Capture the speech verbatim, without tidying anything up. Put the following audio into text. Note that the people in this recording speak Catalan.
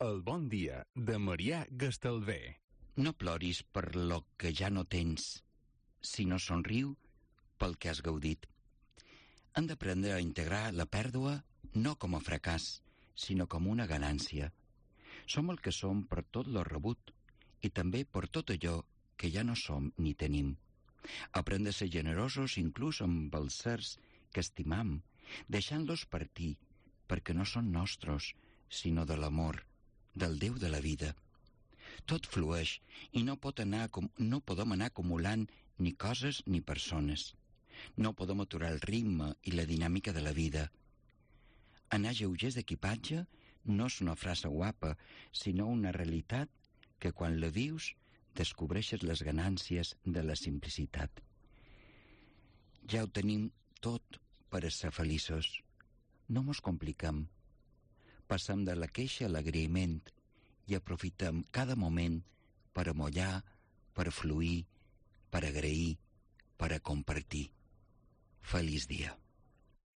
El bon dia de Marià Gastalver. No ploris per lo que ja no tens, sinó somriu pel que has gaudit. Han d'aprendre a integrar la pèrdua no com a fracàs, sinó com una ganància. Som el que som per tot lo rebut i també per tot allò que ja no som ni tenim. Aprendre a ser generosos inclús amb els sers que estimam, deixant-los partir, perquè no són nostres, sinó de l'amor, del Déu de la vida. Tot flueix i no, pot anar, no podem anar acumulant ni coses ni persones. No podem aturar el ritme i la dinàmica de la vida. Anar lleugers d'equipatge no és una frase guapa, sinó una realitat que quan la vius descobreixes les ganàncies de la simplicitat. Ja ho tenim tot per a ser feliços. No mos compliquem. Passem de la queixa a l'agraïment i aprofitem cada moment per amollar, per fluir, per agrair, per a compartir. Feliç dia.